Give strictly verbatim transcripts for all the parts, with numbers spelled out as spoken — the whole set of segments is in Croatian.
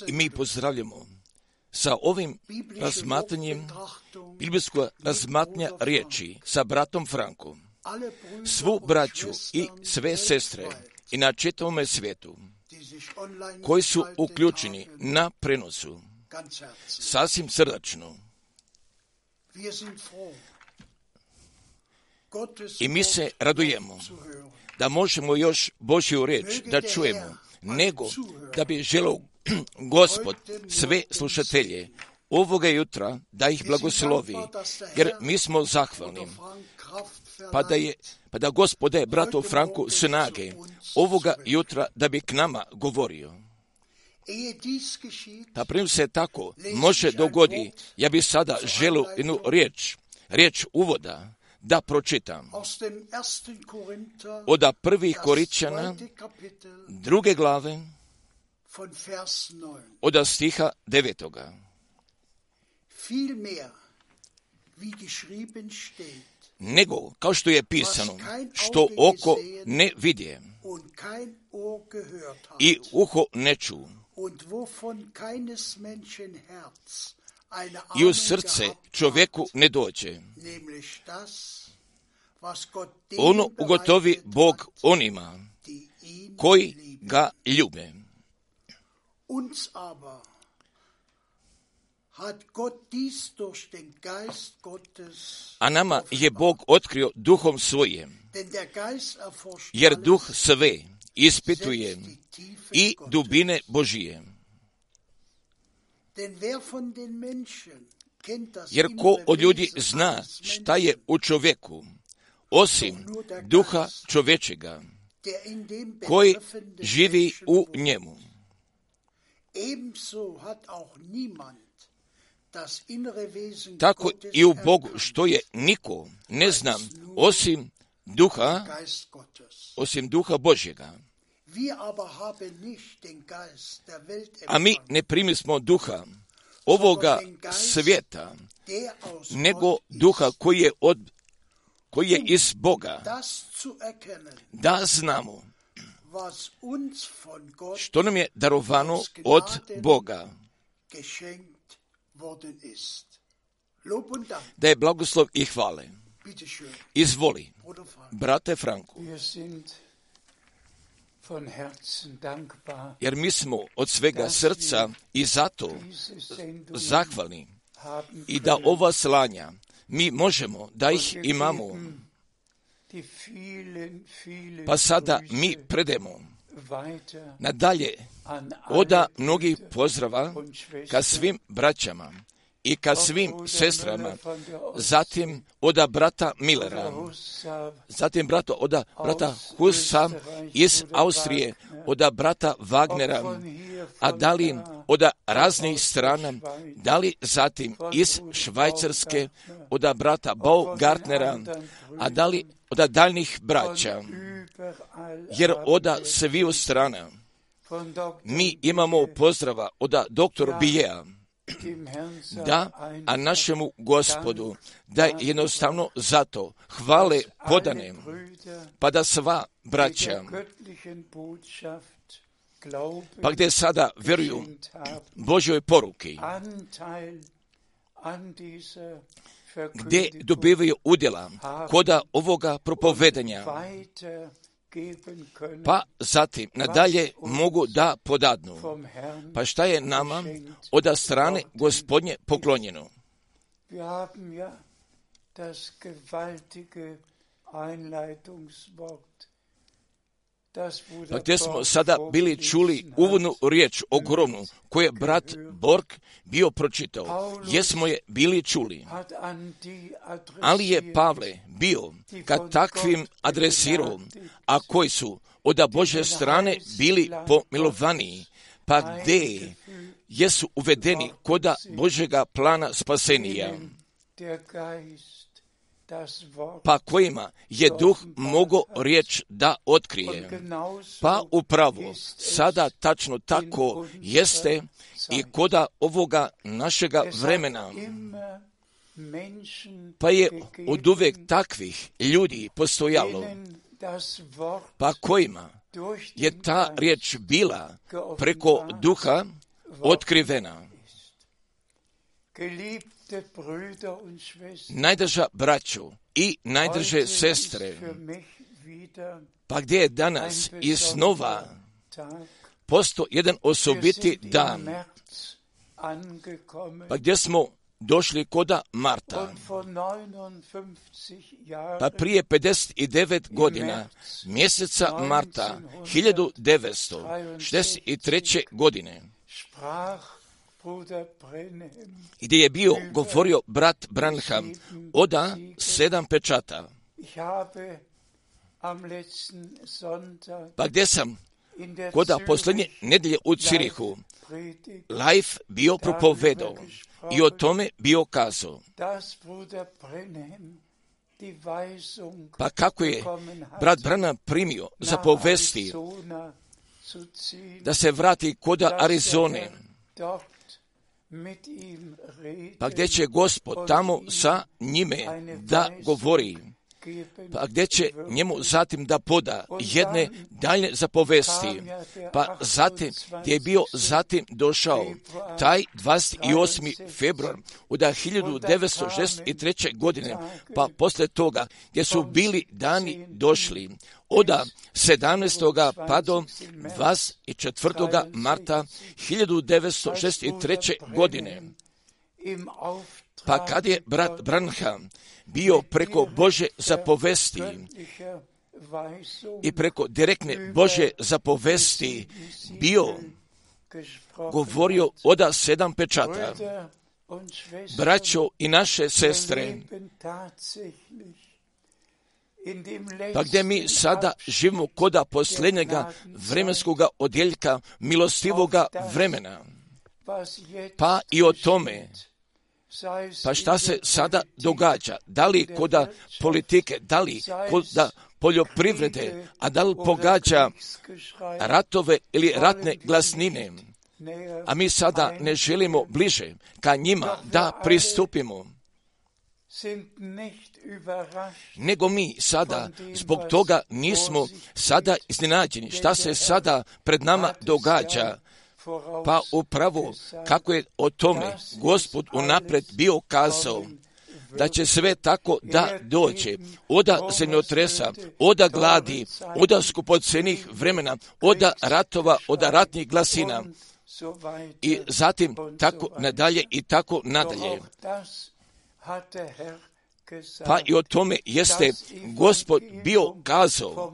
I mi pozdravljamo sa ovim razmatranjem, biblijsko razmatranja riječi sa bratom Frankom, svu braću i sve sestre i na čitavome svijetu koji su uključeni na prenosu, sasvim srdačno. I mi se radujemo da možemo još Božju riječ da čujemo, nego da bi želio Gospod sve slušatelje ovoga jutra da ih blagoslovi, jer mi smo zahvalni. Pa da, je, pa da Gospod daje bratu Franku snage ovoga jutra da bi k nama govorio. Pa prije se tako može dogodi, ja bi sada želio jednu riječ, riječ uvoda da pročitam. Od prvih Korinčana, druge glave, od stiha devetoga. Nego, kao što je pisano, što oko ne vidje i uho ne ču i u srce čovjeku ne dođe, ono ugotovi Bog onima koji ga ljube. A nama je Bog otkrio duhom svojim, jer duh sve ispituje i dubine Božije. Jer ko od ljudi zna šta je u čovjeku, osim duha čovječega, koji živi u njemu. Tako i u Bogu, što je niko ne znam osim duha, osim duha Božjega. A mi ne primismo duha ovoga svijeta, nego duha koji je od koji je iz Boga, da znamo što nam je darovano od Boga, da je blagoslov i hvale. Izvoli, brate Franku, jer mi smo od svega srca i zato zahvalni i da ova slanja mi možemo da ih imamo. Pa sada mi predemo nadalje oda mnogih pozdrava ka svim braćama i ka svim sestrama, zatim oda brata Millera, zatim brata, oda brata Husa iz Austrije, oda brata Wagnera, a da li oda raznih strana, da li zatim iz Švajcarske, oda brata Baugartnera, a da li oda daljnih braća, jer oda sviju strana mi imamo pozdrava oda doktor Bijea, da, a našemu Gospodu, da jednostavno zato hvale podane, pa da sva braća, pa gdje sada vjeruju Božjoj poruki, gdje dobivaju udjela koda ovoga propovedanja, pa zatim nadalje mogu da podadnu. Pa šta je nama od strane Gospodnje poklonjeno? Pa gdje smo sada bili čuli uvodnu riječ ogromnu koju je brat Borg bio pročitao. Jesmo je bili čuli. Ali je Pavle bio ka takvim adresirao, a koji su od Božje strane bili pomilovaniji, pa gdje jesu uvedeni koda Božjega plana spasenija, pa kojima je duh mogo riječ da otkrije. Pa upravo sada tačno tako jeste i koda ovoga našega vremena. Pa je od uvijek takvih ljudi postojalo, pa kojima je ta riječ bila preko duha otkrivena. Najdraža braćo i najdrže sestre, pa gdje je danas iznova posto jedan osobiti dan, pa gdje smo došli koda marta, pa prije pedeset devet godina, mjeseca marta, hiljadu devetsto šezdeset treće. godine, gdje je bio govorio brat Branham oda sedam pečata, pa gdje sam koda posljednje nedelje u Cirihu live bio propovedao i o tome bio kazao. Pa kako je brat Branham primio za povesti da se vrati koda Arizone, pa gdje će Gospod tamo sa njime da govori, pa gdje će njemu zatim da poda jedne dalje zapovesti, pa zatim gdje je bio zatim došao taj dvadeset osmi februar od hiljadu devetsto šezdeset treće. godine, pa poslije toga gdje su bili dani došli od sedamnaestog pa do dvadeset četvrtog marta hiljadu devetsto šezdeset treće. godine. Pa kad je brat Branham bio preko Božje zapovesti i preko direktne Božje zapovesti bio govorio oda sedam pečata, braćo i naše sestre, pa gdje mi sada živimo koda posljednjega vremenskoga odjeljka milostivoga vremena, pa i o tome, pa šta se sada događa, da li koda politike, da li koda poljoprivrede, a da li pogađa ratove ili ratne glasnine, a mi sada ne želimo bliže ka njima da pristupimo, nego mi sada zbog toga nismo sada iznenađeni šta se sada pred nama događa. Pa upravo kako je o tome Gospod unaprijed bio kazao da će sve tako da dođe, oda zemljotresa, oda gladi, oda skupocenih vremena, oda ratova, oda ratnih glasina i zatim tako nadalje i tako nadalje. Pa i o tome jeste Gospod bio kazao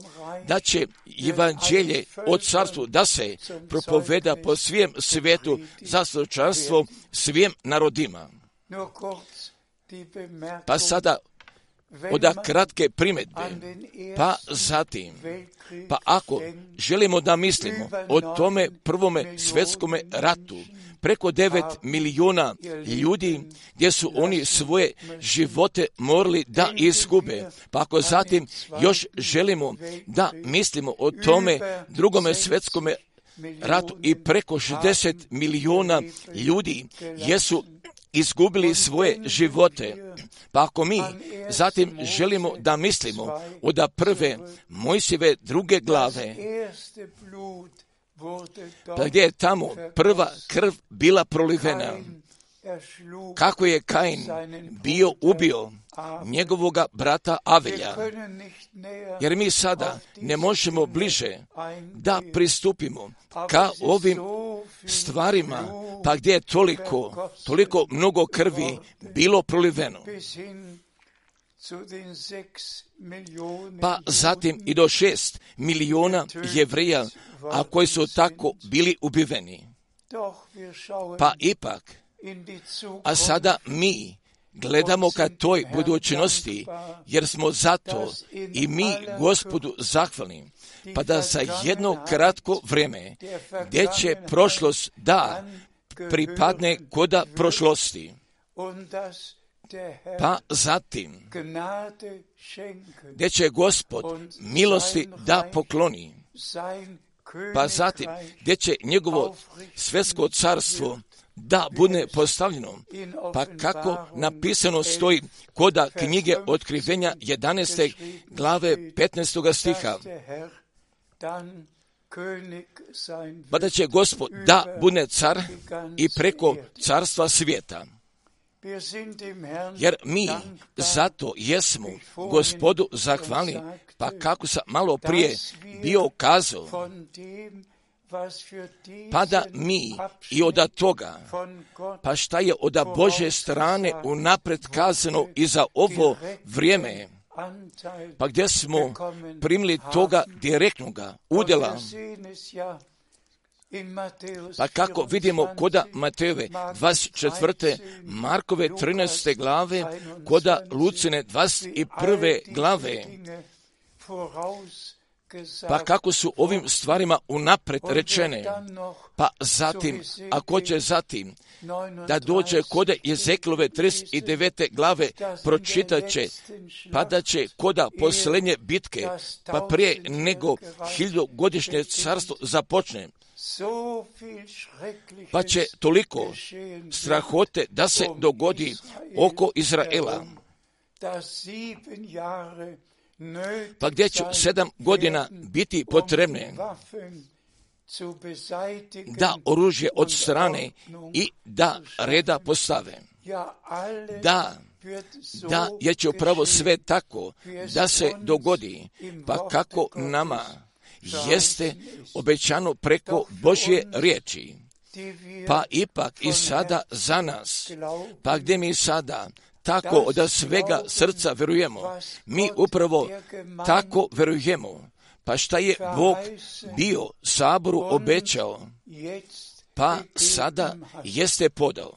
da će evanđelje o carstvu da se propoveda po svijem svijetu za svjedočanstvo svim narodima. Pa sada oda kratke primjedbe, pa zatim, pa ako želimo da mislimo o tome prvome svjetskome ratu, preko devet milijuna ljudi gdje su oni svoje živote morali da izgube. Pa ako zatim još želimo da mislimo o tome drugome svjetskome ratu i preko šezdeset milijuna ljudi jesu izgubili svoje živote. Pa ako mi zatim želimo da mislimo od prve Mojsijeve druge glave, pa gdje je tamo prva krv bila prolivena, kako je Kain bio ubio njegovoga brata Avelja. Jer mi sada ne možemo bliže da pristupimo ka ovim stvarima, pa gdje je toliko, toliko mnogo krvi bilo proliveno. Pa zatim i do šest milijuna Jevreja, a koji su tako bili ubiveni. Pa ipak, a sada mi gledamo ka toj budućnosti, jer smo zato i mi Gospodu zahvalni, pa da za jedno kratko vrijeme, gdje će prošlost da pripadne koda prošlosti, pa zatim, gdje će Gospod milosti da pokloni, pa zatim, gdje će njegovo svjetsko carstvo da bude postavljeno, pa kako napisano stoji koda knjige Otkrivenja jedanaeste glave petnaestog stiha, pa da će Gospod da bude car i preko carstva svijeta. Jer mi zato jesmo Gospodu zahvalni, pa kako sam malo prije bio kazao, pa da mi i od toga, pa šta je od Božje strane unaprijed kazano i za ovo vrijeme, pa gdje smo primili toga direktnoga udjela, pa kako vidimo koda Matejove dvadeset četvrte, Markove trinaeste glave, koda Lucine dvadeset prve glave, pa kako su ovim stvarima unaprijed rečene, pa zatim, ako će zatim da dođe koda Jezekilove trideset devete glave, pročitat će, pa da će koda posljednje bitke, pa prije nego hiljadugodišnje carstvo započne, pa će toliko strahote da se dogodi oko Izraela, pa gdje će sedam godina biti potrebne da oružje od strane i da reda postave. Da, da je će upravo sve tako da se dogodi, pa kako nama jeste obećano preko Božje riječi. Pa ipak i sada za nas, pa gdje mi sada tako od svega srca verujemo, mi upravo tako verujemo, pa šta je Bog bio Saboru obećao, pa sada jeste podao.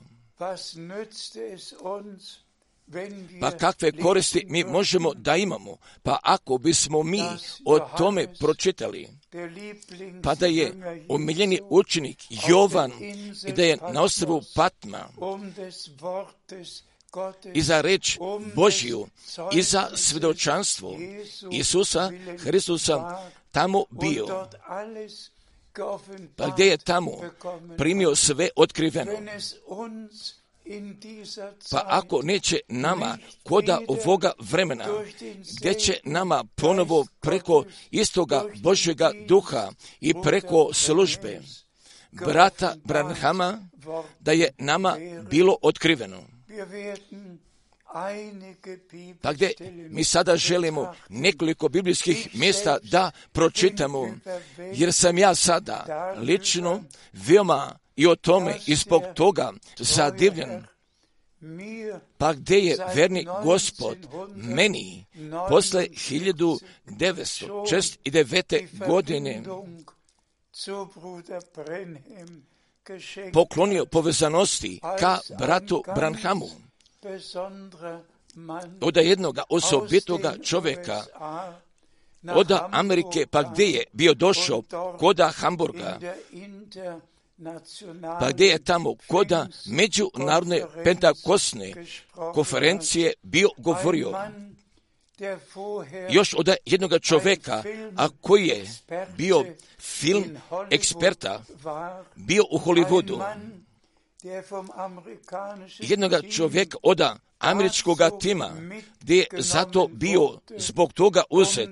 Pa kakve koristi mi možemo da imamo, pa ako bismo mi o tome pročitali, pa da je omiljeni učenik Jovan i da je na ostrvu Patma i za reč Božju i za svjedočanstvo Isusa Hristusa tamo bio, pa gdje je tamo primio sve otkriveno. Pa ako neće nama koda ovoga vremena, gdje će nama ponovo preko istoga Božjega duha i preko službe brata Branhama, da je nama bilo otkriveno. Pa gdje mi sada želimo nekoliko biblijskih mjesta da pročitamo, jer sam ja sada lično veoma i o tome i zbog toga zadivljen. Pa gdje je verni Gospod meni posle hiljadu devetsto šezdeset devete. godine poklonio povezanosti ka bratu Branhamu. od jednoga osobitoga čovjeka od Amerike, pa gdje je bio došao koda Hamburga, pa gdje je tamo koda međunarodne pentakosne konferencije bio govorio još od jednog čovjeka, a koji je bio film eksperta, bio u Hollywoodu, jednog čovjeka od američkog tima, gdje je zato bio zbog toga uzet,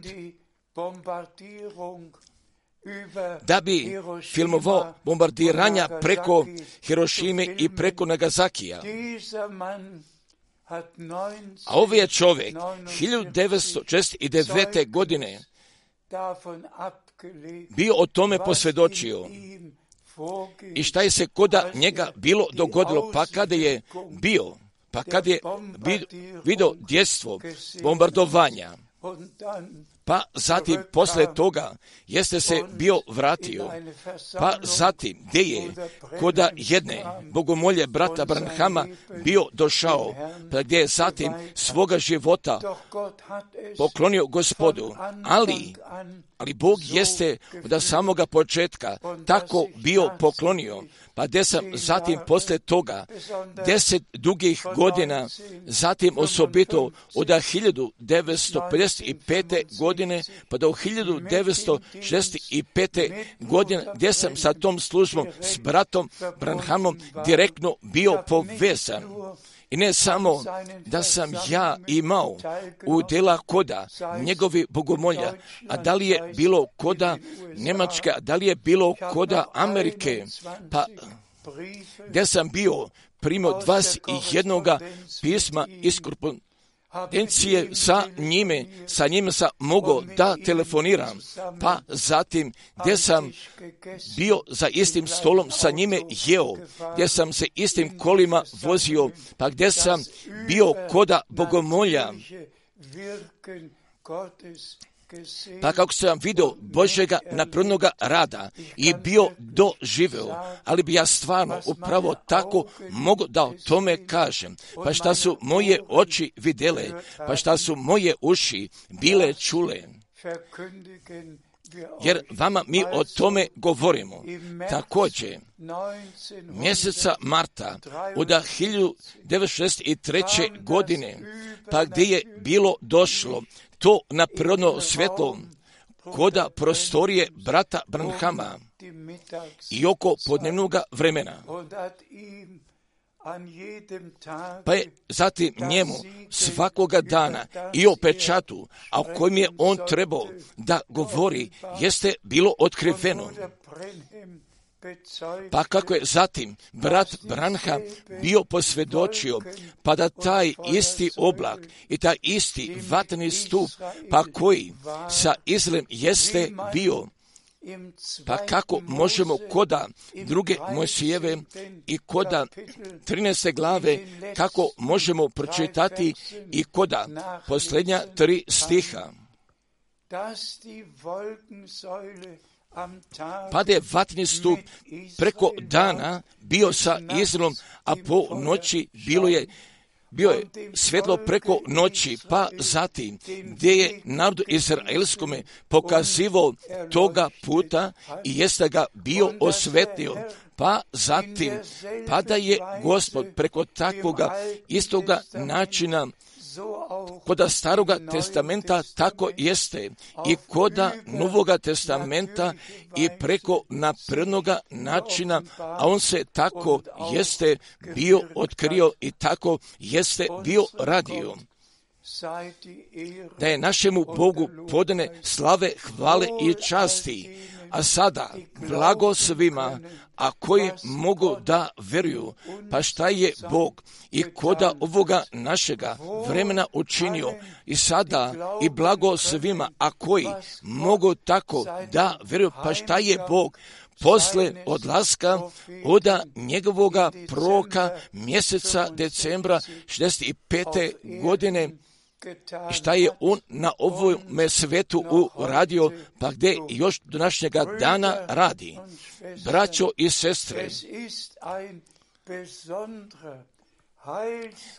da bi filmovao bombardiranja preko Hirošime i preko Nagasakija. A ovaj je čovjek hiljadu devetsto šezdeset devete. godine bio o tome posvjedočio. I šta je se koda njega bilo dogodilo, pa kada je bio, pa kada je vidio djestvo bombardovanja, pa zatim posle toga jeste se bio vratio, pa zatim gdje je koda jedne bogomolje brata Branhama bio došao, pa gdje je zatim svoga života poklonio Gospodu, ali ali Bog jeste od samoga početka tako bio poklonio, pa gdje sam zatim posle toga deset dugih godina, zatim osobito od hiljadu devetsto pedeset pete. godine pa do hiljadu devetsto šezdeset pete. godine, gdje sam sa tom službom s bratom Branhamom direktno bio povezan. I ne samo da sam ja imao udjela koda njegovi bogomolja, a da li je bilo koda Njemačke, a da li je bilo koda Amerike, pa gdje sam bio primio dvadeset jednog pisma iz korespondencije sa njime, sa njime sam mogao da telefoniram, pa zatim gdje sam bio za istim stolom sa njime jeo, gdje sam se istim kolima vozio, pa gdje sam bio koda bogomolja, pa kako sam vidio Božjega napravnoga rada i bio doživeo, ali bi ja stvarno upravo tako mogu da o tome kažem. Pa šta su moje oči vidjele, pa šta su moje uši bile čule. Jer vama mi o tome govorimo. Također, mjeseca marta od hiljadu devetsto šezdeset treće. godine, pa gdje je bilo došlo to na prirodno svjetlo koda prostorije brata Branhama i oko podnevnog vremena. Pa je zatim njemu svakoga dana i o pečatu, a o kojem je on trebao da govori, jeste bilo otkriveno. Pa kako je zatim brat Branham bio posvjedočio, pa da taj isti oblak i taj isti vatreni stup, pa koji sa Izraelem jeste bio, pa kako možemo koda druge Mojsijeve i koda trinaeste glave, kako možemo pročitati i koda posljednja tri stiha. Pa da je vatreni stup preko dana bio sa Izraelom, a po noći bilo je bio je svjetlo preko noći, pa zatim gdje je narodu izraelskome pokazivao toga puta i jeste ga bio osvetio. Pa zatim, pa da je Gospod preko takvoga istoga načina koda staroga testamenta tako jeste i koda novoga testamenta i preko naprednoga načina, a on se tako jeste bio otkrio i tako jeste bio radio. Da je našemu Bogu podane slave, hvale i časti, a sada blago svima, a koji mogu da veruju, pa šta je Bog i koda ovoga našega vremena učinio, i sada i blago svima, a koji mogu tako da veruju, pa šta je Bog posle odlaska od njegovoga proroka mjeseca decembra šezdeset pete. godine, šta je on na ovome svetu uradio, pa gdje još do današnjega dana radi. Braćo i sestre,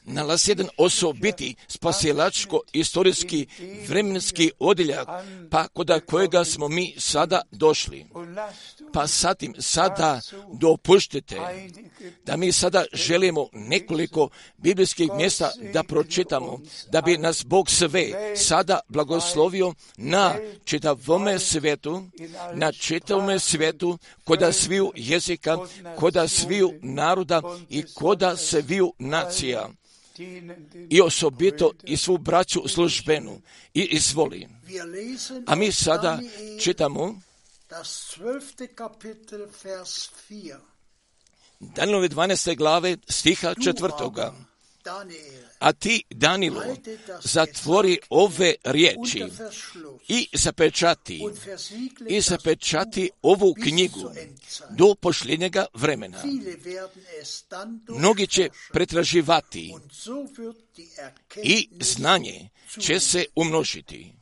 nalazi jedan osobiti spasilačko-istorijski vremenski odjeljak, pa kod kojega smo mi sada došli. Pa satim sada dopuštite da mi sada želimo nekoliko biblijskih mjesta da pročitamo, da bi nas Bog sve sada blagoslovio na čitavome svijetu, na čitavome svijetu, koda sviju jezika, koda sviju naroda i koda sviju nacija. I osobito i svu braću službenu i izvoli. A mi sada čitamo Danielove dvanaeste glave stiha četvrtoga. A ti, Danilo, zatvori ove riječi i zapečati, i zapečati ovu knjigu do posljednjega vremena. Mnogi će pretraživati i znanje će se umnožiti.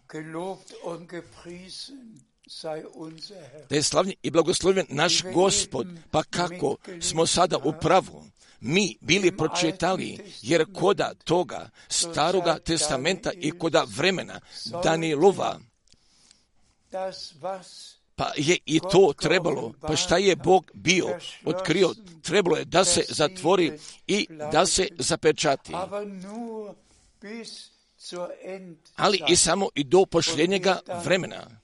Da je slavljen i blagoslovljen naš Gospod, pa kako smo sada u pravu mi bili pročitali, jer koda toga staroga testamenta i koda vremena Danielova, pa je i to trebalo, pa šta je Bog bio otkrio, trebalo je da se zatvori i da se zapečati. Ali i samo i do posljednjega vremena.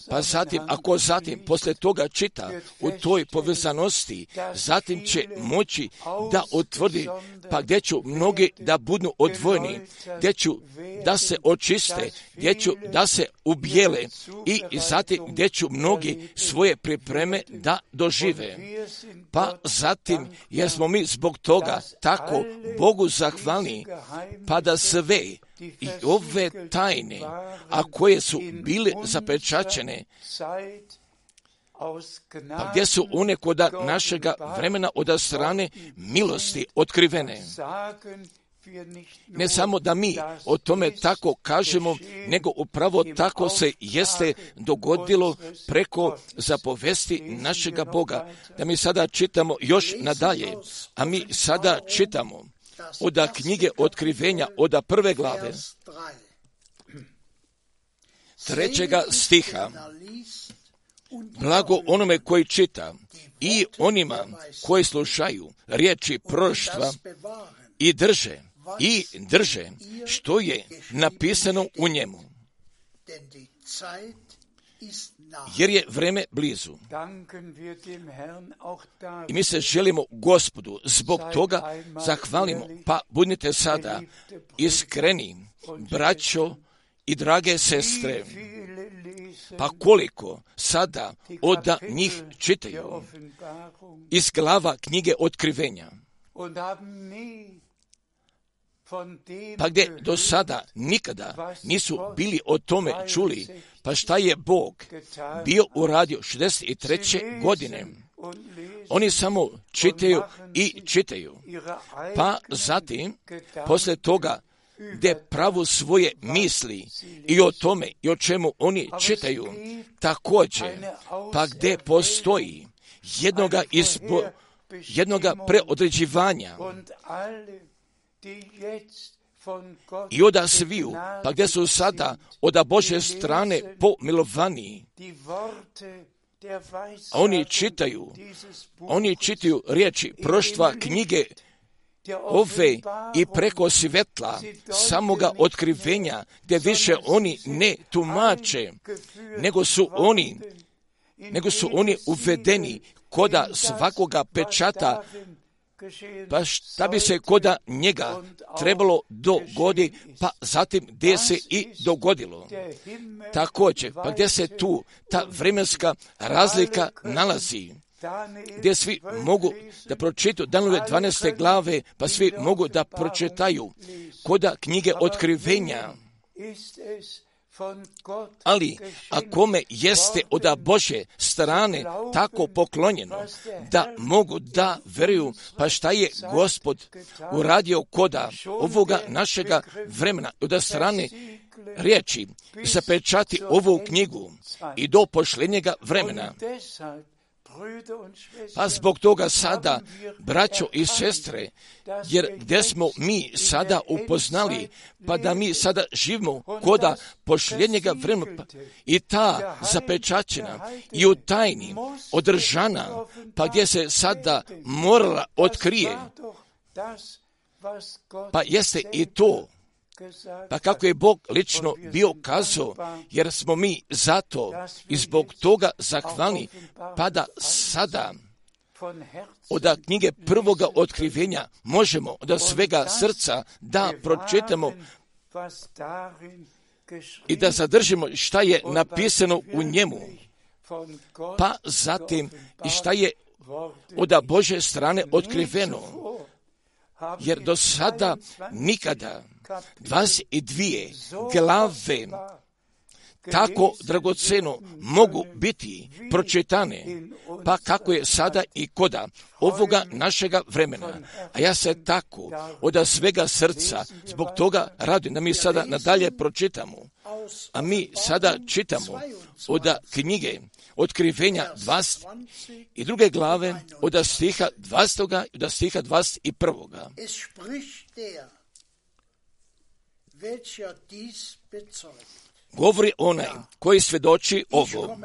Pa zatim, ako zatim poslije toga čita u toj povezanosti, zatim će moći da utvrdi, pa gdje ću mnogi da budu odvojeni, gdje ću da se očiste, gdje ću da se ubijele i zatim gdje ću mnogi svoje pripreme da dožive. Pa zatim, jer smo mi zbog toga tako Bogu zahvalni, pa da sve i ove tajne, a koje su bile zapečaćene, pa gdje su one koda našega vremena od strane milosti otkrivene. Ne samo da mi o tome tako kažemo, nego upravo tako se jeste dogodilo preko zapovesti našega Boga. Da mi sada čitamo još nadalje, a mi sada čitamo od knjige Otkrivenja, od prve glave, trećega stiha. Blago onome koji čita i onima koji slušaju riječi proroštva i drže, i drže što je napisano u njemu. Jer je vreme blizu. I mi se želimo Gospodu zbog toga zahvalimo. Pa budite sada iskreni, braćo i drage sestre. Pa koliko sada od njih čitaju iz glava knjige Otkrivenja. Pa gdje do sada nikada nisu bili o tome čuli, pa šta je Bog bio uradio šezdeset treće godine. Oni samo čitaju i čitaju. Pa zatim, poslije toga, gdje pravu svoje misli i o tome i o čemu oni čitaju, također, pa gdje postoji jednoga, izbo, jednoga preodređivanja i oda sviju, pa gdje su sada od Božje strane pomilovani, oni čitaju, oni čitaju riječi proštva knjige ove i preko svjetla samoga otkrivenja, gdje više oni ne tumače, nego su oni, nego su oni uvedeni koda svakoga pečata, pa šta bi se koda njega trebalo dogoditi, pa zatim gdje se i dogodilo. Također, pa gdje se tu ta vremenska razlika nalazi, gdje svi mogu da pročitaju Danielove dvanaeste glave, pa svi mogu da pročitaju koda knjige Otkrivenja. Ali, a kome jeste od Božje strane tako poklonjeno, da mogu da veruju, pa šta je Gospod uradio koda ovoga našega vremena, od strane riječi, zapečati ovu knjigu i do posljednjega vremena. Pa zbog toga sada, braćo i sestre, jer gdje smo mi sada upoznali, pa da mi sada živimo koda posljednjega vremena i ta zapečaćena i u tajni održana, pa gdje se sada morala otkrije, pa jeste i to, pa kako je Bog lično bio kazao, jer smo mi zato i zbog toga zahvalni, pa da sada od knjige prvoga otkrivenja možemo od svega srca da pročitamo i da zadržimo šta je napisano u njemu, pa zatim i šta je od Božje strane otkriveno, jer do sada nikada dvadeset dvije glave tako dragoceno mogu biti pročitane, pa kako je sada i koda ovoga našega vremena. A ja se tako od svega srca zbog toga radujem da mi sada nadalje pročitamo. A mi sada čitamo od knjige Otkrivenja dvadeset i druge glave od stiha dvadesetog i od stiha dvadeset prvog. Govori onaj koji svjedoči ovo,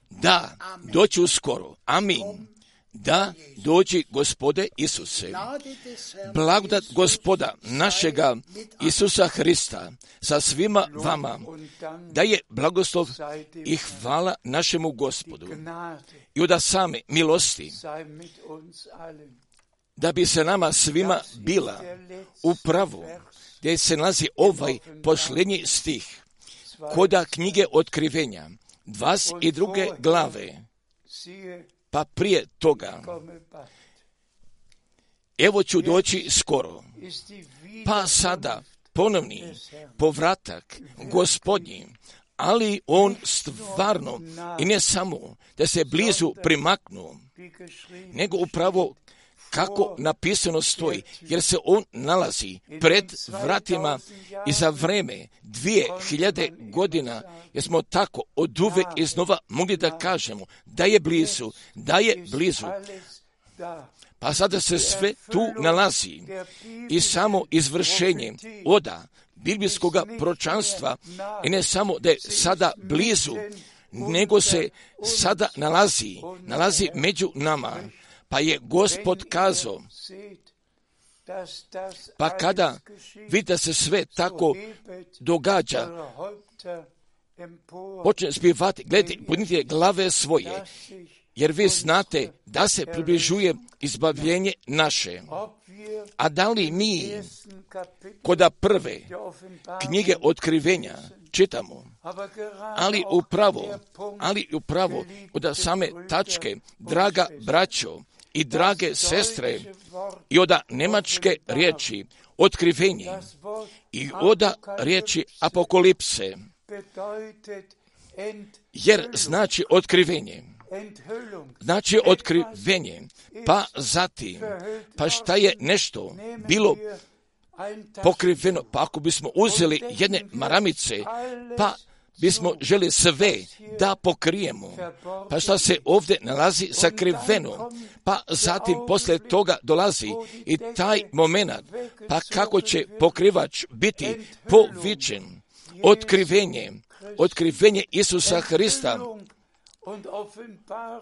da doći uskoro. Amin. Da dođi Gospode Isuse. Blagodat Gospoda našega Isusa Hrista sa svima vama, da je blagoslov i hvala našemu Gospodu i od same milosti, da bi se nama svima bila upravo, gdje se nalazi ovaj posljednji stih koda knjige Otkrivenja dvadeset druge glave, pa prije toga evo ću doći skoro, pa sada ponovni povratak Gospodnji, ali on stvarno i ne samo da se blizu primaknuo, nego upravo kako napisano stoji, jer se on nalazi pred vratima i za vreme dvije hiljade godina, jer smo tako od uvek iznova mogli da kažemo da je blizu, da je blizu. Pa sada se sve tu nalazi i samo izvršenje oda biblijskog proročanstva i ne samo da je sada blizu, nego se sada nalazi, nalazi među nama. Pa je Gospod kazao, pa kada vidi da se sve tako događa, počne spjevati, gledajte, podnite glave svoje, jer vi znate da se približuje izbavljenje naše. A da li mi koda prve knjige Otkrivenja čitamo, ali upravo, ali upravo od same tačke, draga braćo i drage sestre, i od nemačke riječi otkrivenje i od riječi apokalipse, jer znači otkrivenje, znači otkrivenje, pa zatim, pa šta je nešto bilo pokriveno, pa ako bismo uzeli jedne maramice, pa bismo želi sve da pokrijemo, pa šta se ovdje nalazi sakriveno, pa zatim poslije toga dolazi i taj moment, pa kako će pokrivač biti povičen, otkrivenje, otkrivenje Isusa Hrista,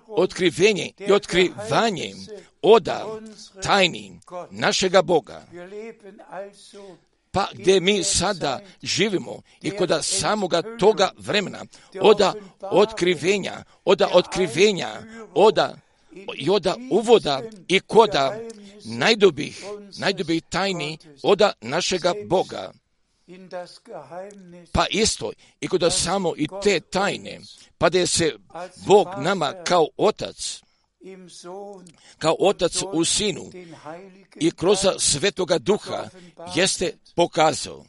otkrivenje i otkrivanje oda tajni našega Boga. Pa gdje mi sada živimo i kod samoga toga vremena, oda otkrivenja, oda otkrivenja, oda i oda uvoda i koda najdubih, najdubih tajni oda našega Boga. Pa isto i kod samo i te tajne, pa da je se Bog nama kao otac, kao otac u sinu i kroz Svetoga Duha jeste pokazao.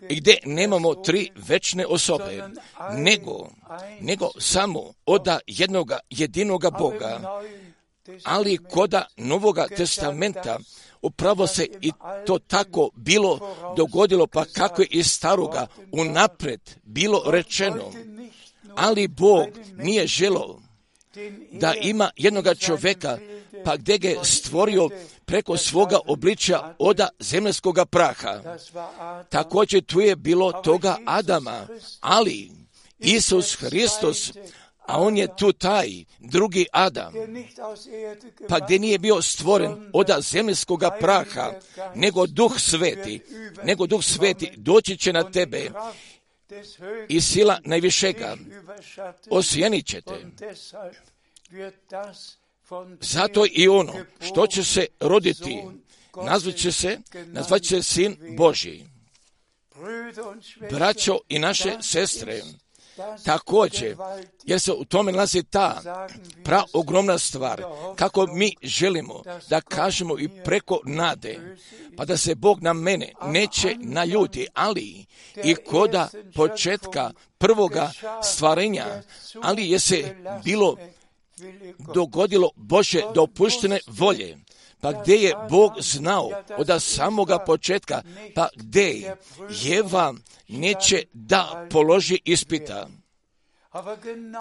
I gdje nemamo tri večne osobe, nego, nego samo od jednoga jedinoga Boga, ali koda Novoga testamenta upravo se i to tako bilo dogodilo, pa kako je iz staroga unaprijed bilo rečeno. ali Bog nije želio da ima jednoga čovjeka, pa gdje ga je stvorio preko svoga obličja oda zemaljskoga praha. Također tu je bilo toga Adama, ali Isus Hristos, a on je tu taj drugi Adam, pa gdje nije bio stvoren oda zemaljskoga praha, nego Duh Sveti, nego Duh Sveti doći će na tebe i sila najvišega osjenit će te. Zato i ono što će se roditi, nazvat će se, nazvat će se Sin Božji. Braćo i naše sestre, također, jer se u tome nalazi ta praogromna stvar, kako mi želimo da kažemo i preko nade, pa da se Bog na mene neće naljuti, ali i koda početka prvoga stvarenja, ali je se bilo dogodilo Božje dopuštene volje, pa gdje je Bog znao od samoga početka, pa gdje Jeva neće da položi ispita.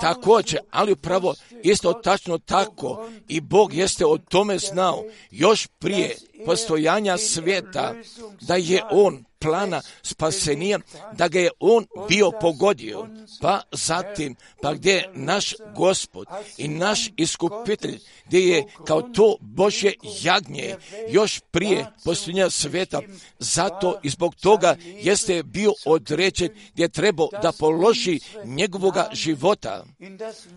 Također, ali upravo isto tačno tako i Bog jeste o tome znao još prije postojanja svijeta, da je On plana spasenija, da ga je On bio pogodio, pa zatim, pa gdje je naš Gospod i naš iskupitelj, gdje je kao to Božje jagnje još prije postojanja svijeta, zato i zbog toga jeste bio određen gdje je trebao da položi njegovoga života,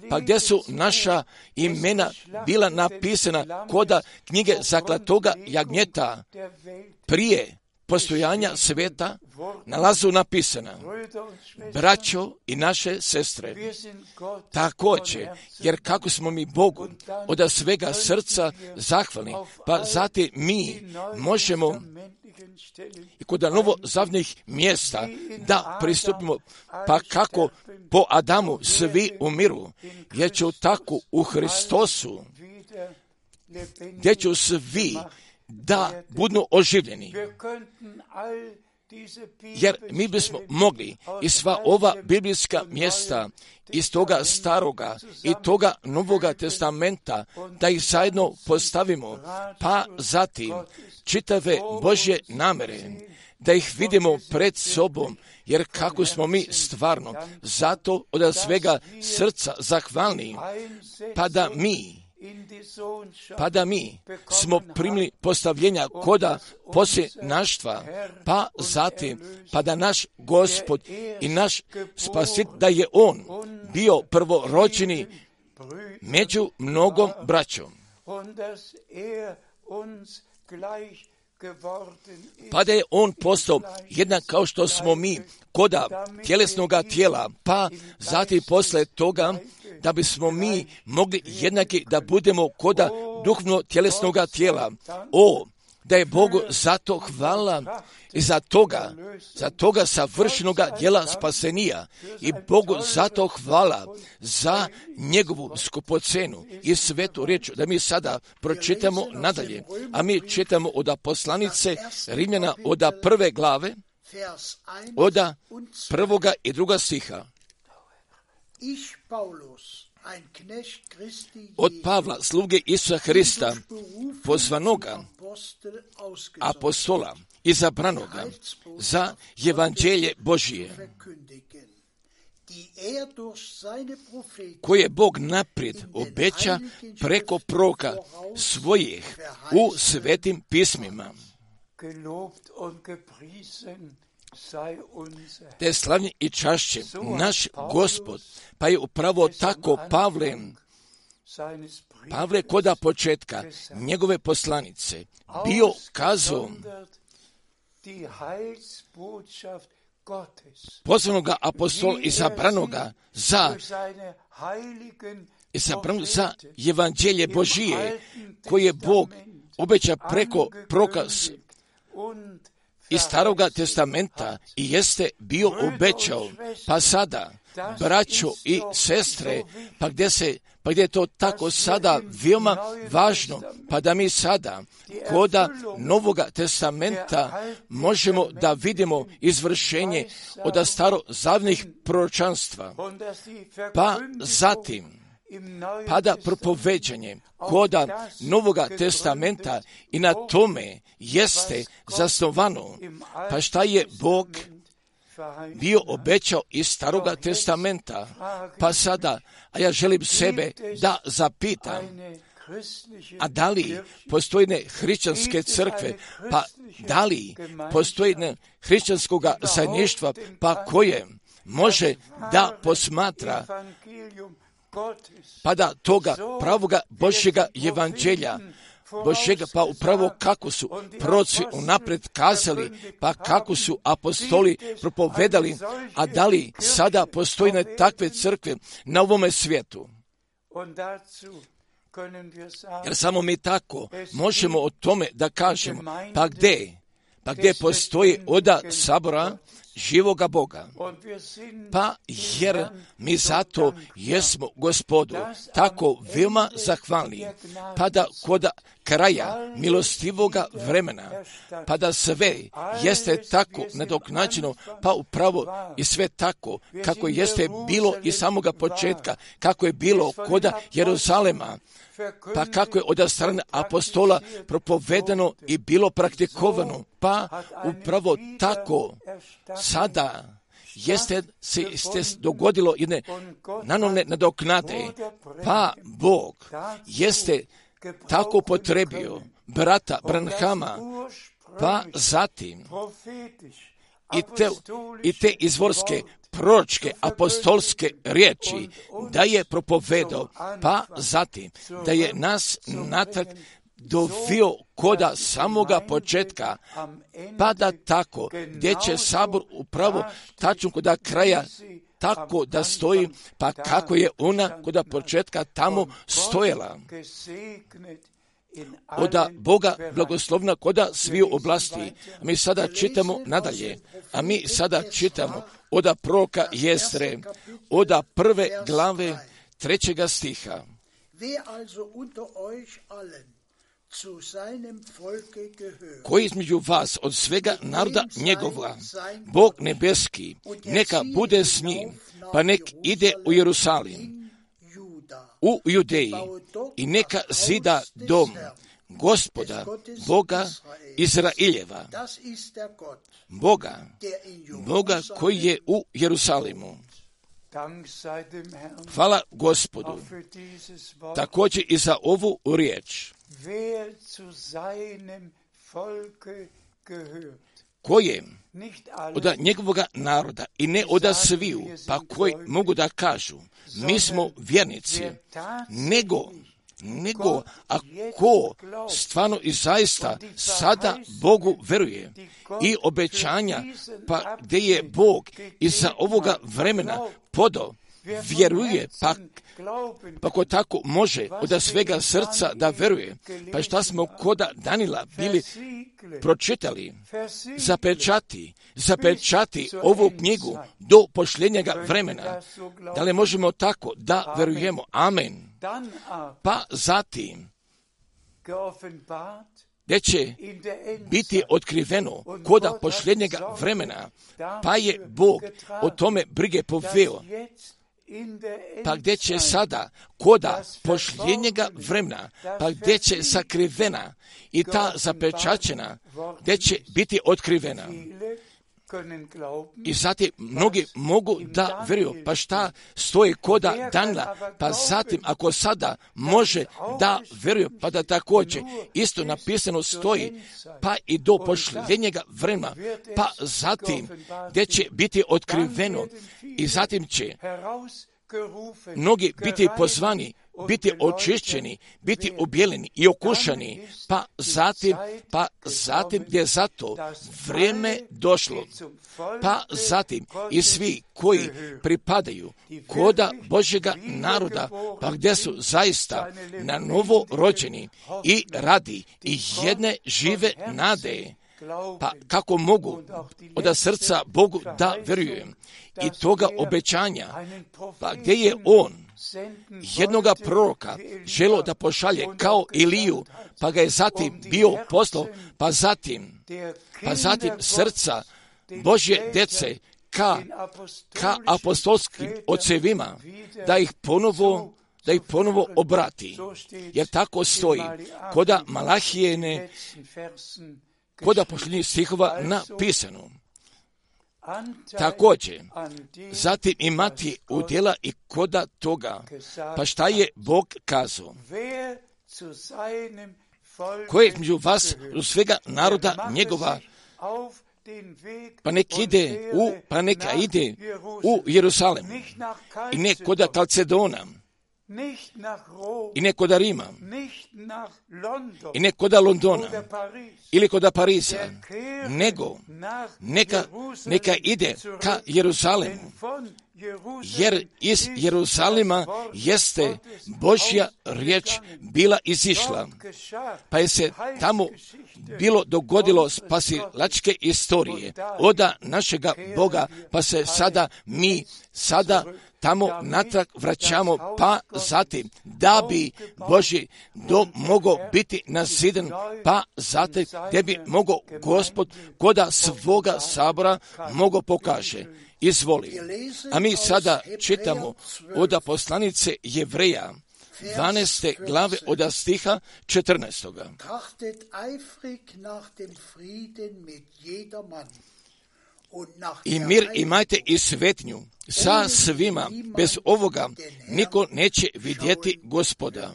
pa gdje su naša imena bila napisana koda knjige zaklatoga jagnjeta prije postojanja svijeta nalazu napisana. Braćo i naše sestre, također, jer kako smo mi Bogu od svega srca zahvalni, pa zatim mi možemo i kod novozavnih mjesta da pristupimo, pa kako po Adamu svi umiru, jer će tako u Hristosu, gdje će svi da budu oživljeni. Jer mi bismo mogli i sva ova biblijska mjesta iz toga staroga i toga novoga testamenta da ih zajedno postavimo, pa zatim čitave Božje namere, da ih vidimo pred sobom, jer kako smo mi stvarno zato od svega srca zahvalni, pa da mi pa da mi smo primili postavljenja koda poslije naštva, pa zatim, pa da naš Gospod i naš Spasit, da je On bio prvorođeni među mnogom braćom. Pa da je On postao jednak kao što smo mi koda tjelesnoga tijela, pa zatim posle toga da bismo mi mogli jednaki da budemo koda duhovno tjelesnoga tijela. O, da je Bogu zato hvala i za toga, za toga savršenoga djela spasenija i Bogu zato hvala za njegovu skupocenu i svetu riječ, da mi sada pročitamo nadalje, a mi čitamo od poslanice Rimljana od prve glave, od prvoga i druga stiha. Od Pavla, sluge Isusa Hrista, pozvanoga apostola, izabranoga za evanđelje Božije, koje je Bog naprijed obeća preko proroka svojih u svetim pismima. Te slavnje i čašće naš Gospod, pa je upravo tako Pavle, Pavle koda početka njegove poslanice bio kazao pozvanoga apostola izabranoga za izabranoga za evanđelje Božije, koje je Bog obeća preko proroka iz Staroga testamenta i jeste bio obećao, pa sada, braćo i sestre, pa gdje se Pa gdje je to tako sada veoma važno, pa da mi sada koda Novoga testamenta možemo da vidimo izvršenje od starozavnih proročanstva, pa zatim pa da propoveđanje koda Novoga testamenta i na tome jeste zasnovano, pa šta je Bog bio obećao iz Staroga testamenta, pa sada, a ja želim sebe da zapitam, a da li postoji ne hrišćanske crkve, pa da li postoji ne hrišćanskog zajedništva, pa koje može da posmatra, pa da toga pravoga Božjega evanđelja, Božjega, pa upravo kako su proroci unaprijed kazali, pa kako su apostoli propovedali, a da li sada postoji na takve crkve na ovome svijetu? Jer samo mi tako možemo o tome da kažemo, pa gdje? Pa gdje postoji oda sabora živoga Boga? Pa jer mi zato jesmo Gospodu tako veoma zahvalni, pa da kod kraja milostivoga vremena, pa da sve jeste tako nadoknađeno, pa upravo i sve tako kako jeste bilo i samoga početka, kako je bilo kod Jeruzalema, pa kako je od strane apostola propovedano i bilo praktikovano, pa upravo tako sada jeste se jeste dogodilo jedne nanovne nadoknade, pa Bog jeste tako potrebio brata Branhama, pa zatim i te, i te izvorske proročke apostolske riječi da je propovedao, pa zatim da je nas natrag dovio koda samoga početka, pa da tako, gdje će sabor upravo tačno koda kraja tako da stoji, pa kako je ona koda početka tamo stojala. Oda Boga blagoslovna koda sviju oblasti. A mi sada čitamo nadalje, a mi sada čitamo oda proroka Jestre, oda prve glave trećega stiha. Koji između vas od svega naroda njegova, Bog nebeski, neka bude s njim, pa nek ide u Jerusalim, u Judeji, i neka zida dom Gospoda, Boga Izraeljeva, Boga, Boga koji je u Jerusalimu. Hvala Gospodu, također i za ovu riječ. Koje od njegovog naroda i ne od sviju, pa koji mogu da kažu, mi smo vjernici, nego, nego ako stvarno i zaista sada Bogu veruje i obećanja, pa gdje je Bog iza ovoga vremena podao, vjeruje, pa, pa ko tako može od svega srca da veruje, pa šta smo koda Danila bili pročitali, zapečati, zapečati ovu knjigu do pošljenjega vremena, da li možemo tako da verujemo, amen, pa zatim, gdje će biti otkriveno koda pošljenjega vremena, pa je Bog o tome brige poveo, pa gdje će sada koda pošljenjega vremena, pa gdje će sakrivena i ta zapečaćena, gdje će biti otkrivena. I zatim mnogi mogu da vjeruju, pa šta stoji koda Danila, pa zatim ako sada može da vjeruju, pa da također isto napisano stoji, pa i do pošljenjega vremena, pa zatim gdje će biti otkriveno i zatim će mnogi biti pozvani, biti očišćeni, biti objeleni i okušani, pa zatim, pa zatim gdje je zato vrijeme došlo, pa zatim i svi koji pripadaju koda Božjega naroda, pa gdje su zaista na novo rođeni i radi i jedne žive nade, Pa kako mogu od srca Bogu da vjerujem i toga obećanja, pa gdje je on jednoga proroka želo da pošalje kao Iliju, pa ga je zatim bio poslao, pa zatim, pa zatim srca Božje dece ka, ka apostolskim ocevima, da ih ponovo da ih ponovo obrati. Jer tako stoji koda Malahijene, koda posljednjih stihova napisano. Također, zatim imati udjela i koda toga, pa šta je Bog kazao? Ko je među vas u svega naroda njegova, pa nek ide u, pa neka ide u Jerusalem, i ne koda Kalcedona, i ne koda Rima, i ne koda Londona, ili koda Pariza, nego neka, neka ide ka Jeruzalemu, jer iz Jeruzalema jeste Božja riječ bila izišla, pa je se tamo bilo dogodilo spasilačke istorije oda našega Boga, pa se sada mi sada tamo natrag vraćamo, pa zatim da bi Božji dom mogao biti nazidan, pa zatim gdje bi mogao Gospod koda svoga sabora mogao pokaže. Izvoli. A mi sada čitamo od poslanice Jevreja, dvanaeste glave od stiha četrnaestoga. I mir imajte i svetnju sa svima, bez ovoga niko neće vidjeti Gospoda.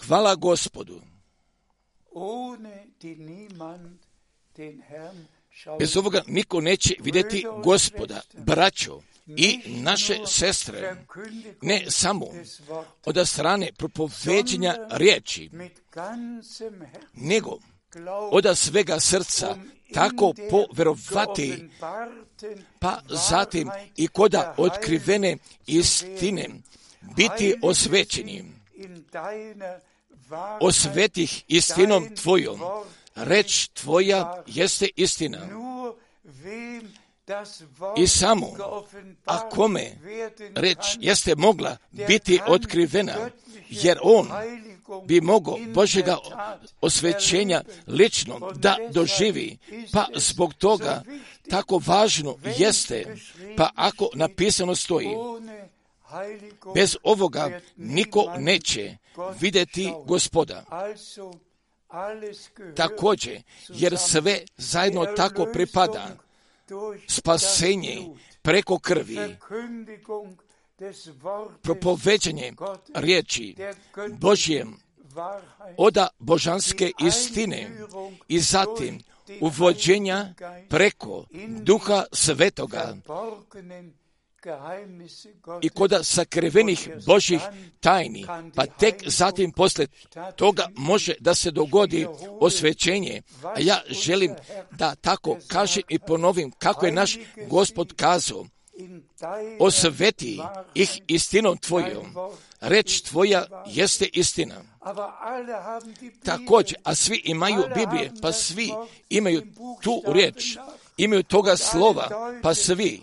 Hvala Gospodu. Bez ovoga niko neće vidjeti Gospoda. Braćo i naše sestre, ne samo od strane propoveđenja riječi, nego od svega srca, tako poverovati, pa zatim i koda otkrivene istine biti osvećeni. Osvetih istinom tvojom, reč tvoja jeste istina. I samo, a kome reč jeste mogla biti otkrivena, jer on bi mogao Božjega osvećenja lično da doživi, pa zbog toga tako važno jeste, pa ako napisano stoji, bez ovoga niko neće vidjeti Gospoda. Također, jer sve zajedno tako pripada, spasenje preko krvi, propoveđanje riječi Božjem oda božanske istine i zatim uvođenja preko Duha Svetoga i koda sakrivenih Božjih tajni, pa tek zatim poslije toga može da se dogodi osvećenje. A ja želim da tako kažem i ponovim kako je naš Gospod kazao: osveti ih istinom tvojom, reč tvoja jeste istina. Također, a svi imaju Biblije, pa svi imaju tu riječ, imaju toga slova, pa svi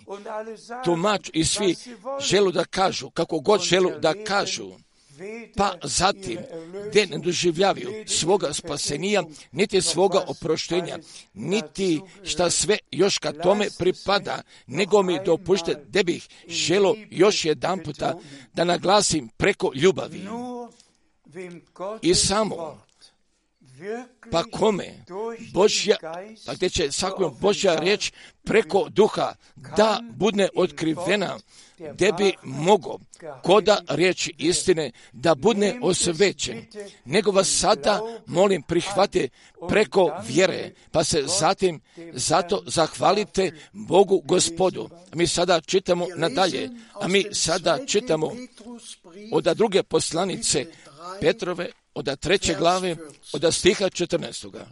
tumaču i svi želu da kažu, kako god želu da kažu, pa zatim gdje ne doživljavaju svoga spasenija, niti svoga oproštenja, niti šta sve još ka tome pripada, nego mi dopušte da bih želo još jedan puta da naglasim preko ljubavi. I samo, pa kome Božja, pa gdje će svakom Božja riječ preko duha da bude otkrivena, gdje bi mogo koda riječi istine da bude osvećen, nego vas sada molim prihvate preko vjere, pa se zatim zato zahvalite Bogu Gospodu. A mi sada čitamo nadalje, a mi sada čitamo od druge poslanice Petrove, od treće glave, od stiha četrnaestoga.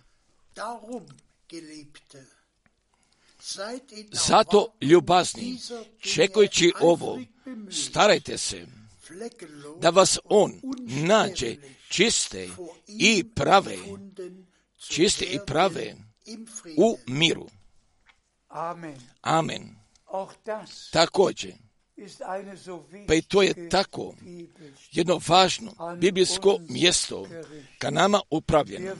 Zato ljubazni, čekajući ovo, starajte se da vas on nađe čiste i prave, čiste i prave u miru. Amen. Također, pa i to je tako jedno važno biblijsko mjesto ka nama upravljeno.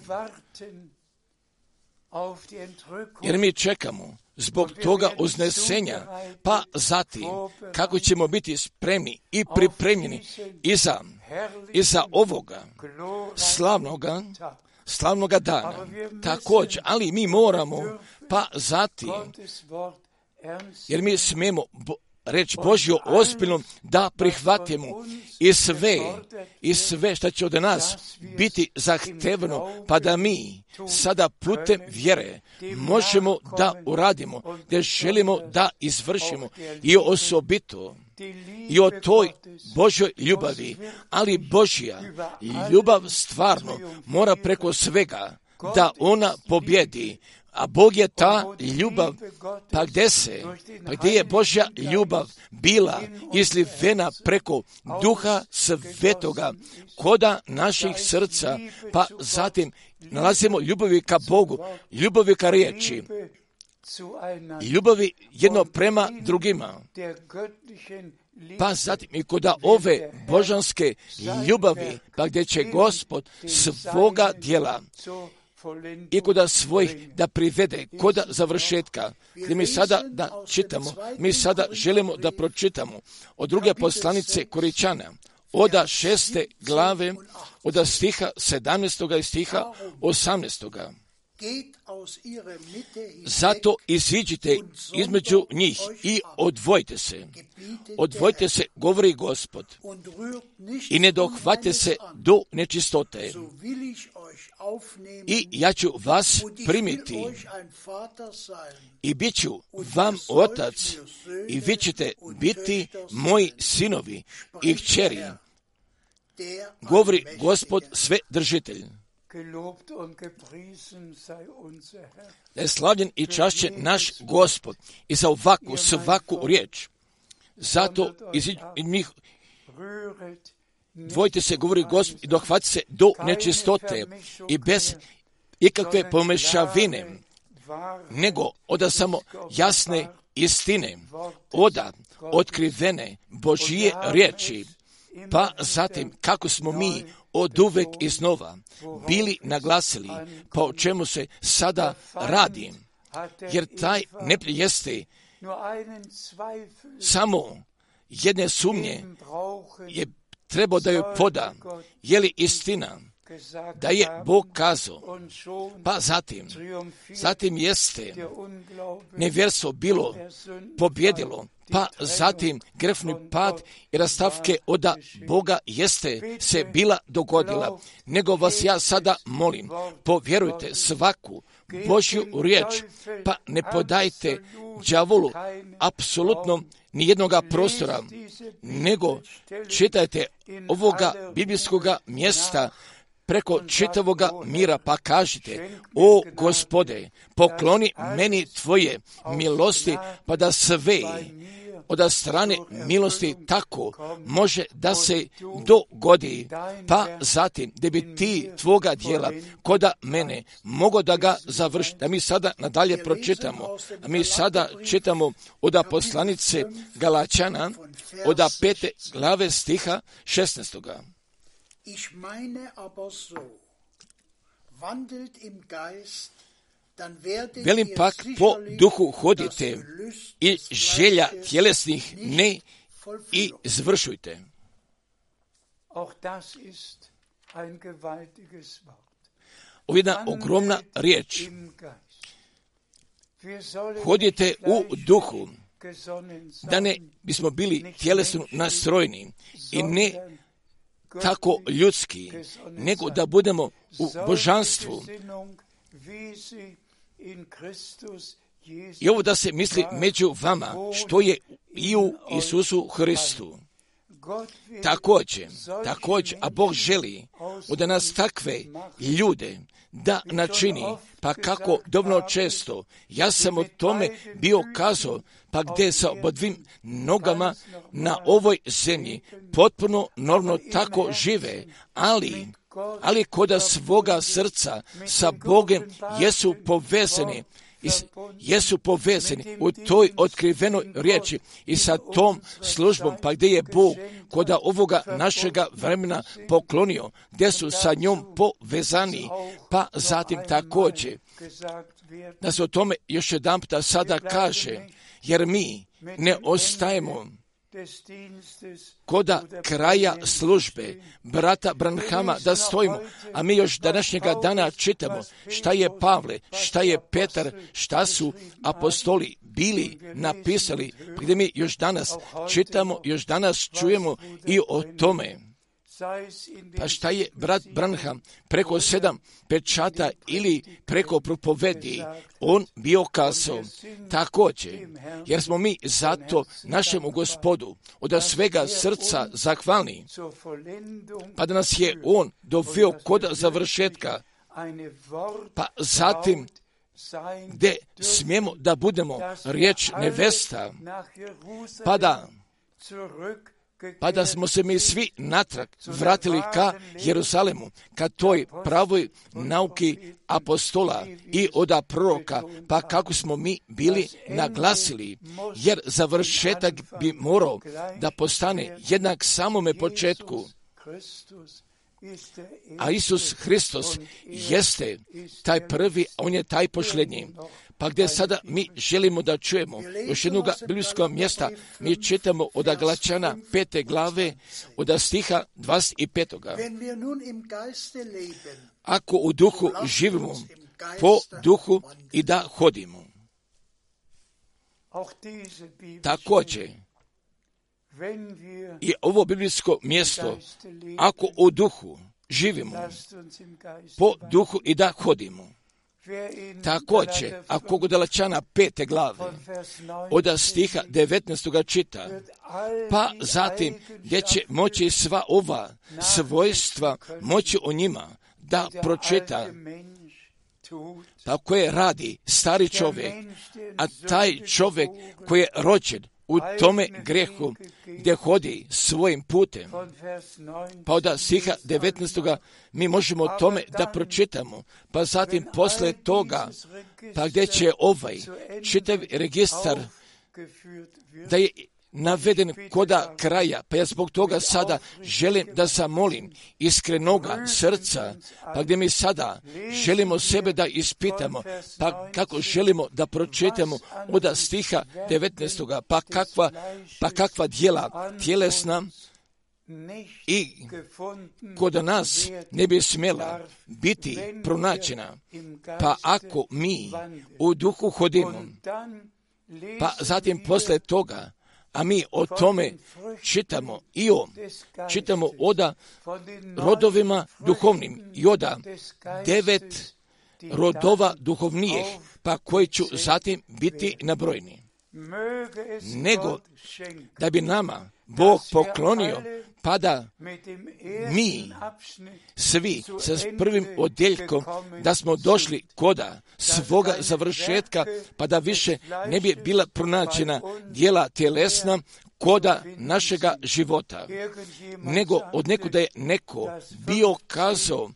Jer mi čekamo zbog toga uznesenja, pa zatim kako ćemo biti spremni i pripremljeni iza, iza ovoga slavnoga, slavnoga dana. Također, ali mi moramo, pa zatim, jer mi smijemo reč Božju ozbiljno da prihvatimo i sve, i sve što će od nas biti zahtevno, pa da mi sada putem vjere možemo da uradimo, da želimo da izvršimo i osobito i o toj Božjoj ljubavi, ali Božja ljubav stvarno mora preko svega da ona pobjedi. A Bog je ta ljubav, pa gdje se, pa gdje je Božja ljubav bila izlivena preko Duha Svetoga, koda naših srca, pa zatim nalazimo ljubavi ka Bogu, ljubavi ka riječi, ljubavi jedno prema drugima. Pa zatim i koda ove božanske ljubavi, pa gdje će Gospod svoga djela i koda svojih da privede, koda završetka. Gdje mi sada da čitamo, mi sada želimo da pročitamo od druge poslanice Koričana, oda šeste glave, oda stiha sedamnaestoga i stiha osamnaestoga. Zato iziđite između njih i odvojite se. Odvojite se, govori Gospod, i ne dohvate se do nečistote. I ja ću vas primiti i bit ću vam otac i vi ćete biti moji sinovi i kćeri, govori Gospod Svedržitelj. Da je slavljen i čašćen naš Gospod i za ovakvu svaku riječ. Zato iz njih dvojite se, govori Gospod, i dohvati se do nečistote i bez ikakve pomešavine, nego oda samo jasne istine, oda otkrivene Božije riječi, pa zatim kako smo mi od uvek iznova bili naglasili, pa o čemu se sada radi, jer taj neprijatelj jeste samo jedne sumnje je trebao da joj poda, je li istina da je Bog kazao, pa zatim, zatim jeste nevjerstvo bilo pobjedilo, pa zatim grefni pad i rastavke oda Boga jeste se bila dogodila, nego vas ja sada molim, povjerujte svaku Božju riječ, pa ne podajte đavolu apsolutno nijednoga prostora, nego čitajte ovoga biblijskoga mjesta preko čitavoga mira, pa kažite, o Gospode, pokloni meni tvoje milosti, pa da sve od strane milosti tako može da se dogodi, pa zatim da bi ti tvoga djela koda mene mogo da ga završi. Da mi sada nadalje pročitamo, a mi sada čitamo od poslanice Galačana, od pete glave stiha šesnaestoga. Ich meine aber so, wandelt im Geist, dann werdet Velim pak, po duhu hodite i želja tjelesnih ne i izvršujte. Ovo je jedna ogromna riječ. Hodite u duhu, da ne bismo bili tjelesno nastrojeni i ne tako ljudski, nego da budemo u božanstvu. I ovo da se misli među vama, što je i u Isusu Hristu. Također, također, a Bog želi da nas takve ljude da načini, pa kako dovoljno često, ja sam o tome bio kazao, pa gdje sa obodvim nogama na ovoj zemlji potpuno normalno tako žive, ali, ali koda svoga srca sa Bogom jesu povezani, jesu povezani u toj otkrivenoj riječi i sa tom službom, pa gdje je Bog koda ovoga našega vremena poklonio, gdje su sa njom povezani, pa zatim također da se o tome još jedan puta sada kaže, jer mi ne ostajemo koda kraja službe brata Branhama da stojimo, a mi još današnjega dana čitamo šta je Pavle, šta je Petar, šta su apostoli bili napisali, gdje mi još danas čitamo, još danas čujemo i o tome. Pa šta je brat Branham preko sedam pečata ili preko propovedi on bio kazao također, jer smo mi zato našemu Gospodu od svega srca zahvalni, pa da nas je on doveo kod završetka, pa zatim gdje smijemo da budemo riječ nevesta, pa da pa da smo se mi svi natrag vratili ka Jeruzalemu, ka toj pravoj nauki apostola i oda proroka, pa kako smo mi bili naglasili, jer završetak bi morao da postane jednak samome početku. A Isus Hristos jeste taj prvi, a on je taj posljednji. Pa gdje sada mi želimo da čujemo još jednog biblijskog mjesta, mi čitamo od Galačana pete glave, od stiha dvadeset petoga. Ako u duhu živimo, po duhu i da hodimo. Također, i ovo biblijsko mjesto, ako u duhu živimo, po duhu i da hodimo. Također, ako u Galačana pete glave, od stiha devetnaestoga čita, pa zatim gdje će moći sva ova svojstva moći o njima da pročita, pa koje radi stari čovjek, a taj čovjek koji je rođen u tome grehu gdje hodi svojim putem. Pa od stiha devetnaestoga mi možemo o tome da pročitamo, pa zatim posle toga, pa gdje će ovaj čitav registar da je naveden koda kraja, pa ja zbog toga sada želim da zamolim iskrenoga srca, pa gdje mi sada želimo sebe da ispitamo, pa kako želimo da pročitamo od stiha devetnaestoga, pa kakva, pa kakva djela tjelesna i kod nas ne bi smjela biti pronađena, pa ako mi u duhu hodimo, pa zatim posle toga, a mi o tome čitamo i o, čitamo oda rodovima duhovnim i oda devet rodova duhovnijih, pa koji ću zatim biti nabrojni. Nego da bi nama Bog poklonio, pa da mi svi sa prvim odjeljkom da smo došli koda svoga završetka, pa da više ne bi bila pronađena djela tjelesna koda našega života, nego od nekuda je neko bio kazao,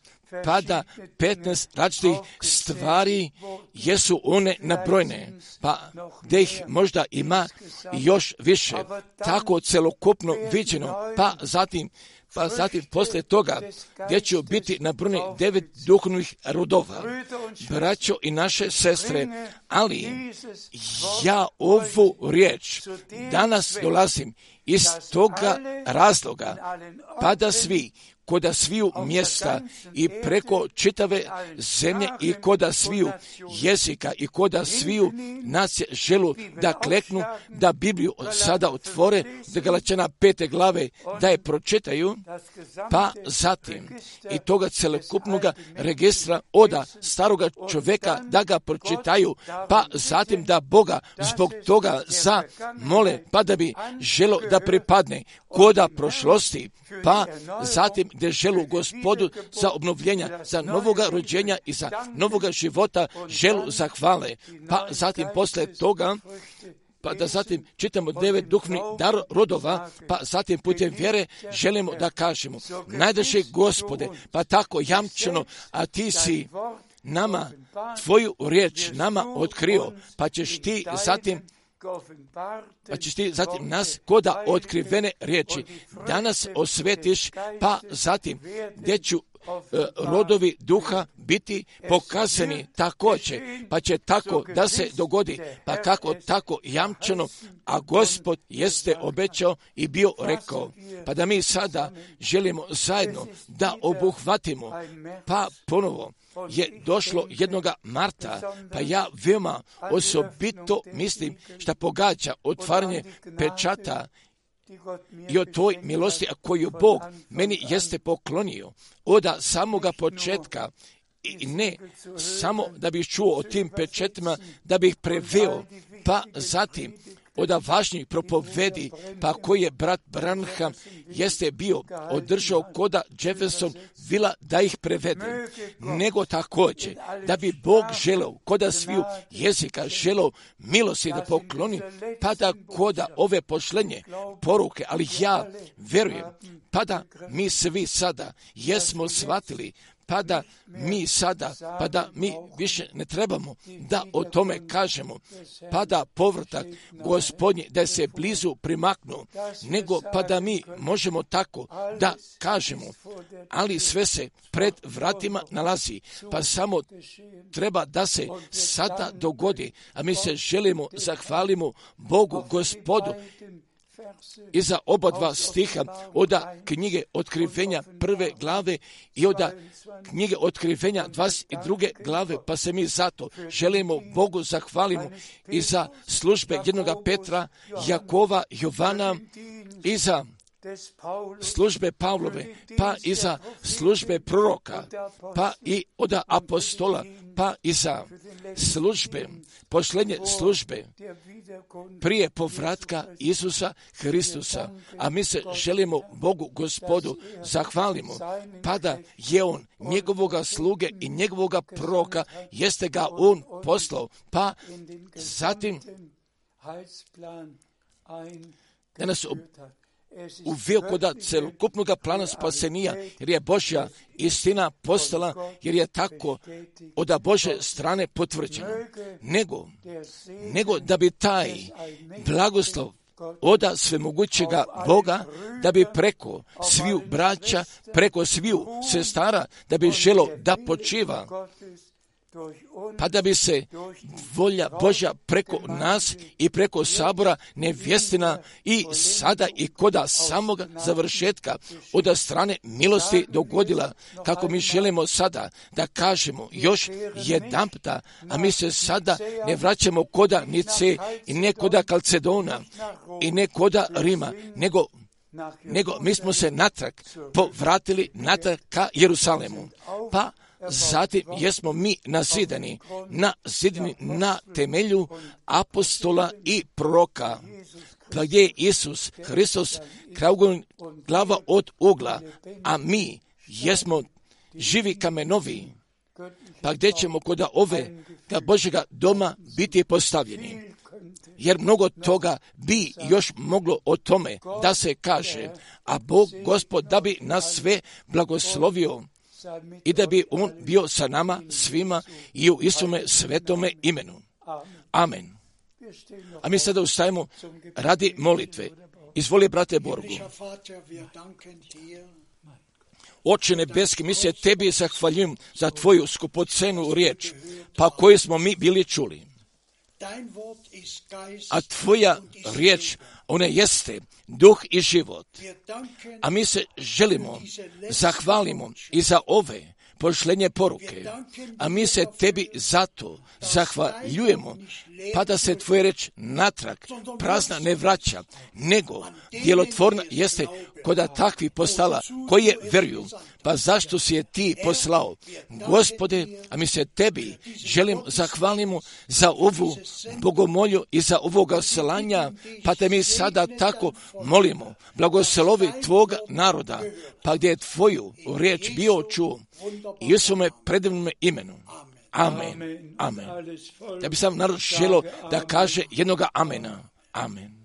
pa da petnaest različitih stvari jesu one nabrojne, pa gdje ih možda ima još više, tako celokupno viđeno, pa zatim, pa zatim poslije toga gdje će biti nabrojene devet duhovnih rodova, braćo i naše sestre, ali ja ovu riječ danas dolazim iz toga razloga, pa da svi koda sviju mjesta i preko čitave zemlje i koda sviju jezika i koda sviju nacije želu da kleknu, da Bibliju sada otvore, da Galačana pete glave da je pročitaju, pa zatim i toga celokupnog registra oda staroga čovjeka da ga pročitaju, pa zatim da Boga zbog toga zamole, pa da bi želo da pripadne koda prošlosti, pa zatim gdje želu Gospodu za obnovljenja, za novoga rođenja i za novoga života želu zahvale, pa zatim posle toga pa da zatim čitamo devet duhovnih dar rodova, pa zatim putem vjere želimo da kažemo, najdraži Gospode, pa tako jamčeno, a ti si nama, tvoju riječ nama otkrio, pa ćeš ti zatim pa ćeš ti zatim nas koda otkrivene riječi danas osvetiš, pa zatim gdje ću e, rodovi duha biti pokazani također, pa će tako da se dogodi, pa kako tako jamčeno, a Gospod jeste obećao i bio rekao, pa da mi sada želimo zajedno da obuhvatimo, pa ponovo je došlo jednoga Marta, pa ja veoma osobito mislim šta pogađa otvaranje pečata i o toj milosti koju Bog meni jeste poklonio od samoga početka, i ne samo da bih čuo o tim pečetima, da bih preveo, pa zatim od važnjih propovedi, pa koji je brat Branham jeste bio održao koda Jefferson Villa da ih prevede, nego također da bi Bog želeo koda sviju jezika želeo milosti da pokloni, pa da koda ove pošlenje poruke, ali ja verujem, pa da mi svi sada jesmo shvatili, pa da mi sada, pa da mi više ne trebamo da o tome kažemo, pa da povratak Gospodnji da se blizu primaknu, nego pa da mi možemo tako da kažemo, ali sve se pred vratima nalazi, pa samo treba da se sada dogodi, a mi se želimo, zahvalimo Bogu Gospodu i za oba dva stiha od knjige Otkrivenja prve glave i od knjige Otkrivenja dvadeset druge glave, pa se mi zato želimo Bogu zahvalimo i za službe jednoga Petra, Jakova, Jovana i za službe Pavlove, pa i za službe proroka, pa i od apostola, pa i za službe, posljednje službe prije povratka Isusa Hristusa. A mi se želimo Bogu Gospodu zahvalimo, pa da je On njegovoga sluge i njegovoga proroka, jeste ga On poslao, pa zatim da nas uveo koda celokupnog plana spasenija, jer je Božja istina postala, jer je tako od Božje strane potvrđeno. Nego, nego da bi taj blagoslov od svemogućega Boga, da bi preko sviju braća, preko sviju sestara, da bi želo da počiva, pa da bi se volja Božja preko nas i preko sabora nevjestina i sada i koda samoga završetka od strane milosti dogodila, kako mi želimo sada da kažemo još jedanputa, a mi se sada ne vraćamo koda Nice i ne koda Kalcedona i ne koda Rima, nego nego mi smo se natrag povratili natrag ka Jerusalemu, pa zatim jesmo mi nazidani, nazidani na temelju apostola i proroka, pa gdje je Isus Hristos glava od ugla, a mi jesmo živi kamenovi, pa gdje ćemo kod ove Božjega doma biti postavljeni. Jer mnogo toga bi još moglo o tome da se kaže, a Bog Gospod da bi nas sve blagoslovio i da bi On bio sa nama svima i u istome svetome imenu. Amen. A mi sada ustajemo radi molitve. Izvoli, brate Borgu. Oče nebeski, mi se tebi zahvaljujem za tvoju skupocenu riječ, pa koju smo mi bili čuli. A tvoja riječ, Ona jeste duh i život. A mi se želimo, zahvalimo i za ove pošlenje poruke, a mi se tebi zato zahvaljujemo, pa da se tvoja reč natrag prazna ne vraća, nego djelotvorna jeste koda takvi postala, koji je veruju. Pa zašto si je ti poslao? Gospode, a mi se tebi želim zahvalimo za ovu bogomolju i za ovoga slanja, pa te mi sada tako molimo, blagoslovi tvoga naroda, pa gdje je tvoju riječ bio čuo, Isume predivnom imenu. Amen. Amen. Ja bih sam narod želio da kaže jednoga amena. Amen.